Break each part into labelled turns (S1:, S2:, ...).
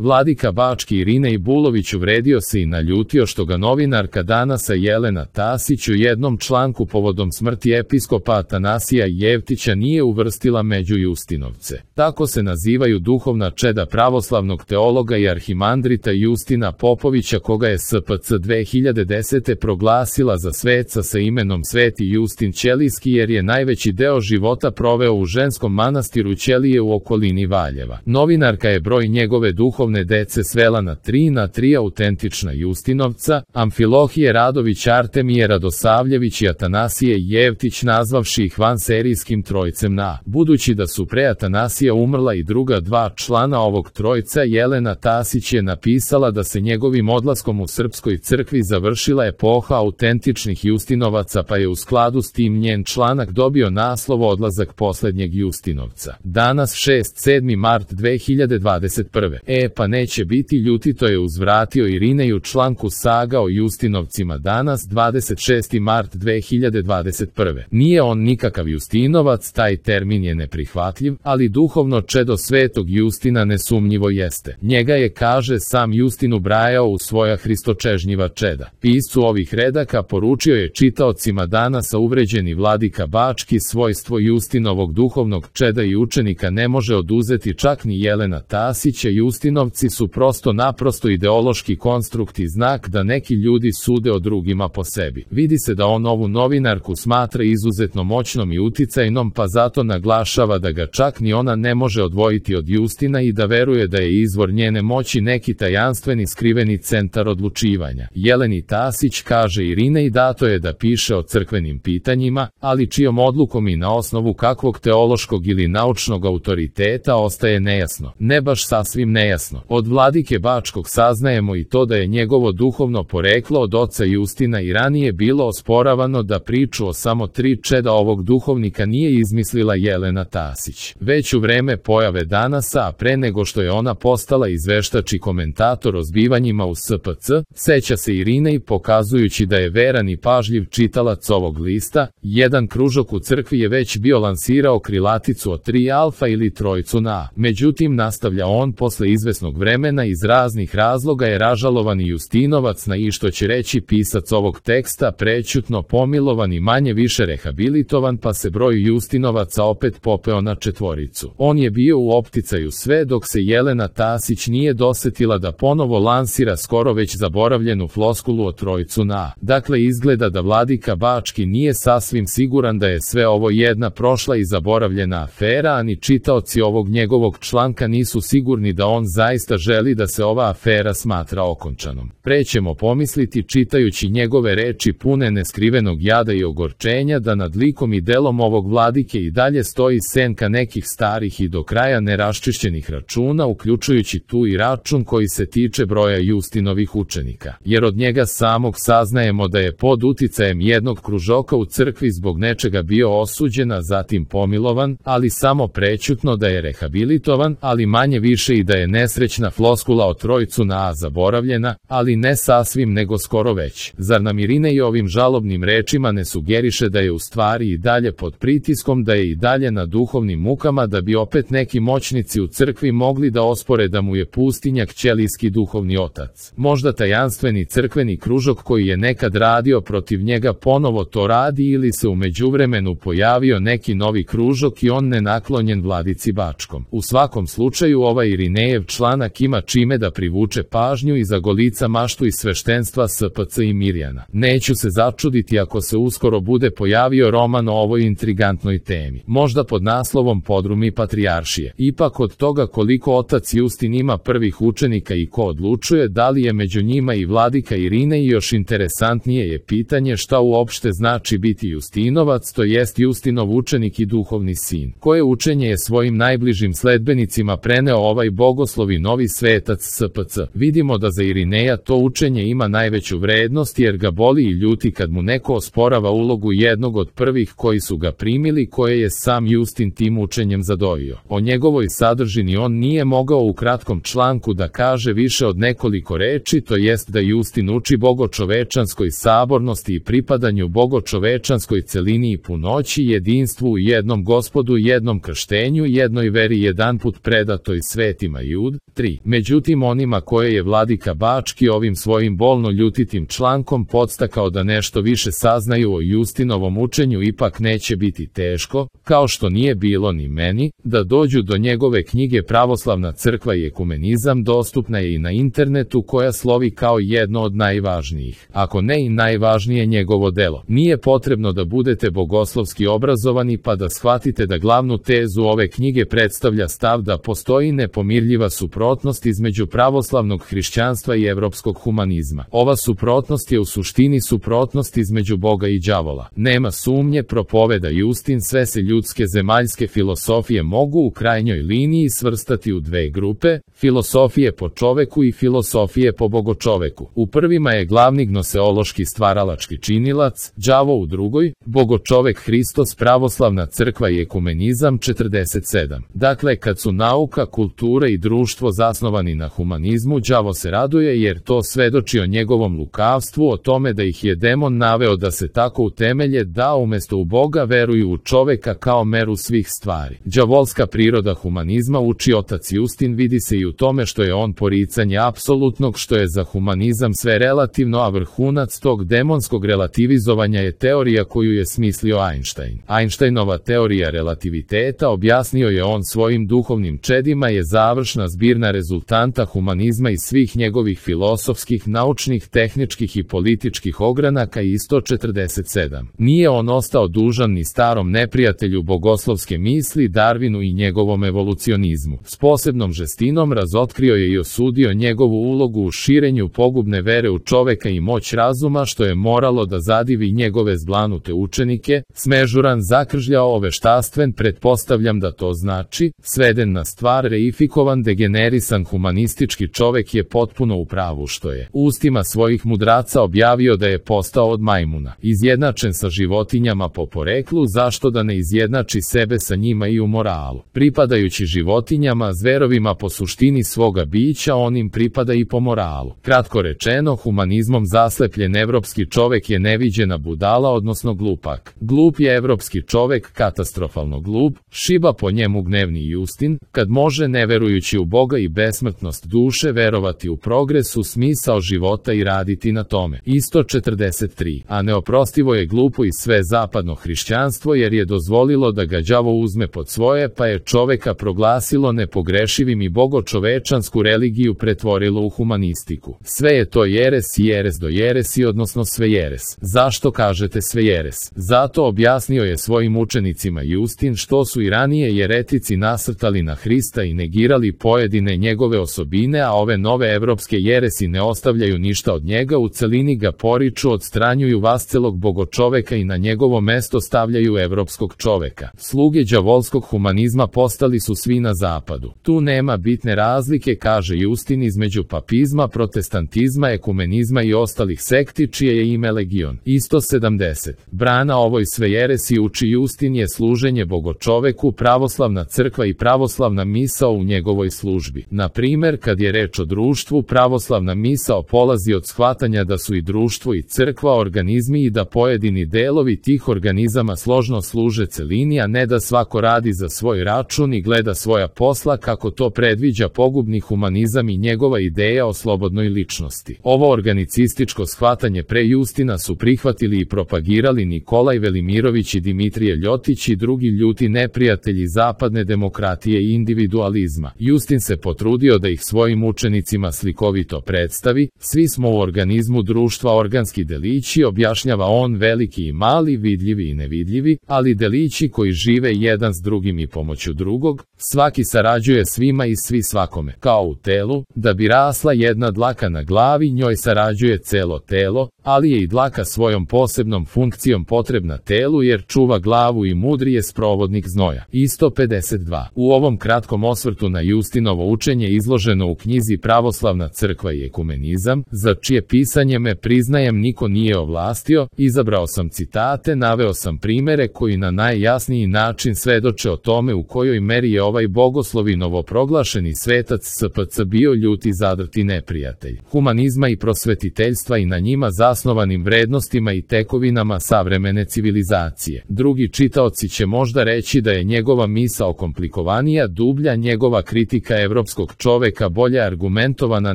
S1: Vladika bački Irinej Bulović uvredio se i naljutio što ga novinarka Danasa Jelena Tasić u jednom članku povodom smrti episkopa Atanasija Jevtića nije uvrstila među Justinovce. Tako se nazivaju duhovna čeda pravoslavnog teologa i arhimandrita Justina Popovića, koga je SPC 2010. proglasila za sveca sa imenom Sveti Justin Ćelijski, jer je najveći deo života proveo u ženskom manastiru Ćelije u okolini Valjeva. Novinarka je broj njegove duhovne dece svela na 3 autentična Justinovca, Amfilohije Radović, Artemije Radosavljević i Atanasije Jevtić, nazvavši ih vanserijskim trojcem na. Budući da su pre Atanasija umrla i druga dva člana ovog trojca, Jelena Tasić je napisala da se njegovim odlaskom u Srpskoj crkvi završila epoha autentičnih Justinovaca, pa je u skladu s tim njen članak dobio naslov Odlazak poslednjeg Justinovca. Danas 7. mart 2021. Pa neće biti ljuti, to je uzvratio Irinej u članku Saga o Justinovcima danas 26. mart 2021. Nije on nikakav Justinovac, taj termin je neprihvatljiv, ali duhovno čedo svetog Justina nesumnjivo jeste. Njega je, kaže, sam Justin ubrajao u svoja hristočežnjiva čeda. Piscu ovih redaka poručio je čitaocima Danasa uvređeni vladika bački: svojstvo Justinovog duhovnog čeda i učenika ne može oduzeti čak ni Jelena Tasića. Justinovci su prosto naprosto ideološki konstrukt i znak da neki ljudi sude o drugima po sebi. Vidi se da on ovu novinarku smatra izuzetno moćnom i uticajnom, pa zato naglašava da ga čak ni ona ne može odvojiti od Justina i da veruje da je izvor njene moći neki tajanstveni skriveni centar odlučivanja. Jeleni Tasić, kaže Irinej, dato je da piše o crkvenim pitanjima, ali čijom odlukom i na osnovu kakvog teološkog ili naučnog autoriteta ostaje nejasno. Ne baš sasvim nejasno. Od vladike bačkog saznajemo i to da je njegovo duhovno poreklo od oca Justina i ranije bilo osporavano, da priču o samo 3 čeda ovog duhovnika nije izmislila Jelena Tasić. Već u vreme pojave Danasa, a pre nego što je ona postala izveštač i komentator o zbivanjima u SPC, seća se Irinej, pokazujući da je veran i pažljiv čitalac ovog lista, jedan kružok u crkvi je već bio lansirao krilaticu o 3 alfa ili trojcu na. Međutim, nastavlja on, posle izvesnog vremena iz raznih razloga je ražalovani Justinovac na i, što će reći pisac ovog teksta, prećutno pomilovan i manje više rehabilitovan, pa se broj Justinovaca opet popeo na 4. On je bio u opticaju sve dok se Jelena Tasić nije dosetila da ponovo lansira skoro već zaboravljenu floskulu o trojcu na. Dakle, izgleda da vladika bački nije sasvim siguran da je sve ovo jedna prošla i zaboravljena afera, a ni čitaoci ovog njegovog članka nisu sigurni da on zaista želi da se ova afera smatra okončanom. Pre ćemo pomisliti, čitajući njegove reči pune neskrivenog jada i ogorčenja, da nad likom i delom ovog vladike i dalje stoji senka nekih starih i do kraja neraščišćenih računa, uključujući tu i račun koji se tiče broja Justinovih učenika, jer od njega samog saznajemo da je pod uticajem jednog kružoka u crkvi zbog nečega bio osuđen, a zatim pomilovan, ali samo prećutno, da je rehabilitovan, ali manje više i da je nesrećna floskula o trojcu na zaboravljena, ali ne sasvim nego skoro već. Zar nam Irinej ovim žalobnim rečima ne sugeriše da je u stvari i dalje pod pritiskom, da je i dalje na duhovnim mukama, da bi opet neki moćnici u crkvi mogli da ospore da mu je pustinjak Ćelijski duhovni otac? Možda tajanstveni crkveni kružok koji je nekad radio protiv njega ponovo to radi, ili se u međuvremenu pojavio neki novi kružok i on nenaklonjen vladici bačkom. U svakom slučaju ovaj Irinejev članak ima čime da privuče pažnju i zagolica maštu iz sveštenstva SPC i Mirjana. Neću se začuditi ako se uskoro bude pojavio roman o ovoj intrigantnoj temi, možda pod naslovom Podrumi patrijaršije. Ipak od toga koliko otac Justin ima prvih učenika i ko odlučuje da li je među njima i vladika Irinej, još interesantnije je pitanje šta uopšte znači biti Justinovac, to jest Justinov učenik i duhovni sin. Koje učenje je svojim najbližim sledbenicima preneo ovaj bogoslovi novi svetac SPC? Vidimo da za Irineja to učenje ima najveću vrednost, jer ga boli i ljuti kad mu neko osporava ulogu jednog od prvih koji su ga primili, koje je sam Justin tim učenjem zadojio. O njegovoj sadržini on nije mogao u kratkom članku da kaže više od nekoliko reči, to jest da Justin uči bogočovečanskoj sabornosti i pripadanju bogočovečanskoj celini i punoći, jedinstvu u jednom Gospodu, jednom krštenju, jednoj veri jedanput predatoj svetima Jud, 3. Međutim, onima koje je vladika Bački ovim svojim bolno ljutitim člankom podstakao da nešto više saznaju o Justinovom učenju, ipak neće biti teško, kao što nije bilo ni meni, da dođu do njegove knjige Pravoslavna crkva i ekumenizam. Dostupna je i na internetu, koja slovi kao jedno od najvažnijih, ako ne i najvažnije njegovo delo. Nije potrebno da budete bogoslovski obrazovani pa da shvatite da glavnu tezu ove knjige predstavlja stav da postoji nepomirljiva suprotnost između pravoslavnog hrišćanstva i evropskog humanizma. Ova suprotnost je u suštini suprotnost između Boga i đavola. Nema sumnje, propoveda Justin, sve se ljudske zemaljske filosofije mogu u krajnjoj liniji svrstati u dve grupe, filosofije po čoveku i filosofije po bogočoveku. U prvima je glavni gnoseološki stvaralački činilac, đavo, u drugoj, bogočovek Hristos, pravoslavna crkva i ekumenizam. 47. Dakle, kad su nauka, kultura i društvo zasnovani na humanizmu, đavo se raduje jer to svedoči o njegovom lukavstvu, o tome da ih je demon naveo da se tako utemelje da umesto u Boga veruju u čoveka kao meru svih stvari. Đavolska priroda humanizma, uči otac Justin, vidi se i u tome što je on poricanje apsolutnog, što je za humanizam sve relativno, a vrhunac tog demonskog relativizovanja je teorija koju je smislio Einstein. Einsteinova teorija relativiteta, objasnio je on svojim duhovnim čedima, je završna zbirna rezultanta humanizma i svih njegovih filosofskih, naučnih, tehničkih i političkih ogranaka. I 147. Nije on ostao dužan ni starom neprijatelju bogoslovske misli, Darwinu i njegovom evolucionizmu. S posebnom žestinom razotkrio je i osudio njegovu ulogu u širenju pogubne vere u čoveka i moć razuma, što je moralo da zadivi njegove zblanute učenike. Smežuran, zakržljao, oveštaštven, pretpostavljam da to znači, sveden na stvar, reifikovan, degenerisan humanistički čovek je potpuno u pravu što je ustima svojih mudraca objavio da je postao od majmuna, izjednačen sa životinjama po poreklu. Zašto da ne izjednači sebe sa njima i u moralu? Pripadajući životinjama, zverovima po suštini svoga bića, on im pripada i po moralu. Kratko rečeno, humanizmom zaslepljen evropski čovek je neviđena budala, odnosno glupak. Glup je evropski čovek, katastrofalno glup, šiba po njemu gnevni Justin, kad može, ne verujući u Boga i besmrtnost duše, verovati u progres, u smisao života i raditi na tome. Isto 43. A neoprostivo je glupo i sve zapadno hrišćanstvo, jer je dozvolilo da ga đavo uzme pod svoje, pa je čoveka proglasilo nepogrešivim i bogočovečansku religiju pretvorilo u humanistiku. Sve je to jeres i jeres do jeresi, odnosno sve jeres. Zašto kažete sve jeres? Zato, objasnio je svojim učenicima Justin, što su i ranije jeretici nasrtali na Hrista i negirali pojedine njegove osobine, a ove nove evropske jeresi ne ostavljaju ništa od njega, u celini ga poriču, odstranjuju vascelog bogočoveka i na njegovo mesto stavljaju evropskog čoveka. Sluge đavolskog humanizma postali su svi na zapadu. Tu nema bitne razlike, kaže Justin, između papizma, protestantizma, ekumenizma i ostalih sekti čije je ime legion. Isto 70. Brana ovoj sve jeresi, uči Justin, je služenje bogočoveku, pravoslavna crkva i pravoslavna misao u njegovoj službi. Na primer, kad je reč o društvu, pravoslavna misao polazi od shvatanja da su i društvo i crkva organizmi i da pojedini delovi tih organizama složno služe celini, a ne da svako radi za svoj račun i gleda svoja posla, kako to predviđa pogubni humanizam i njegova ideja o slobodnoj ličnosti. Ovo organicističko shvatanje pre Justina su prihvatili i propagirali Nikolaj Velimirović i Dimitrije Ljotić i drugi ljuti neprijatelji zapadne demokratije i individualizma. Justin se potrudio da ih svojim učenicima slikovito predstavi. Svi smo u organizmu društva organski delići, objašnjava on, veliki i mali, vidljivi i nevidljivi, ali delići koji žive jedan s drugim i pomoću drugog. Svaki sarađuje svima i svi svakome. Kao u telu, da bi rasla jedna dlaka na glavi, njoj sarađuje celo telo, ali je i dlaka svojom posebnom funkcijom potrebna telu jer čuva glavu i mudri je sprovodnik znoja. Isto 52. U ovom kratkom osvrtu na Justinovo učenje izloženo u knjizi Pravoslavna crkva i ekumenizam, za čije pisanje me, priznajem, niko nije ovlastio, izabrao sam citate, naveo sam primere koji na najjasniji način svedoče o tome u kojoj meri je ovaj bogoslovi novoproglašeni svetac SPC bio ljuti zadrti neprijatelj humanizma i prosvetiteljstva i na njima zasnovanim vrednostima i tekovinama savremene civilizacije. Drugi čitaoci će možda reći da je njegova misao komplikovanija, dublja, njegova kritika evropskog evropskog čoveka bolje argumentovana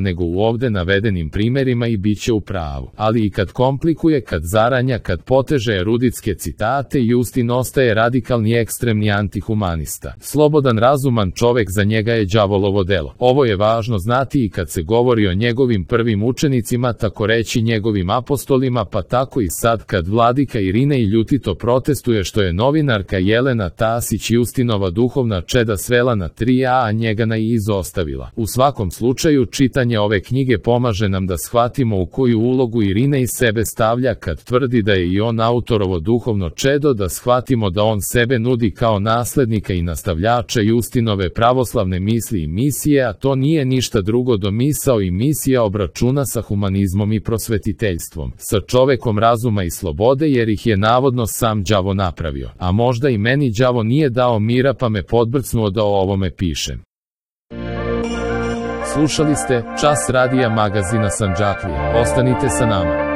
S1: nego u ovde navedenim primerima i bit će u pravu. Ali i kad komplikuje, kad zaranja, kad poteže eruditske citate, Justin ostaje radikalni ekstremni antihumanista. Slobodan razuman čovek za njega je đavolovo delo. Ovo je važno znati i kad se govori o njegovim prvim učenicima, tako reći njegovim apostolima, pa tako i sad kad vladika Irinej ljutito protestuje što je novinarka Jelena Tasić Justinova duhovna čeda svela na 3A, a njega na I izostavila. U svakom slučaju, čitanje ove knjige pomaže nam da shvatimo u koju ulogu Irinej sebe stavlja kad tvrdi da je i on autorovo duhovno čedo, da shvatimo da on sebe nudi kao naslednika i nastavljača Justinove pravoslavne misli i misije, a to nije ništa drugo do misao i misija obračuna sa humanizmom i prosvetiteljstvom, sa čovekom razuma i slobode, jer ih je navodno sam đavo napravio. A možda i meni đavo nije dao mira pa me podbrcnuo da o ovome pišem. Slušali ste Čas radija magazina Sandžaklija. Ostanite sa nama.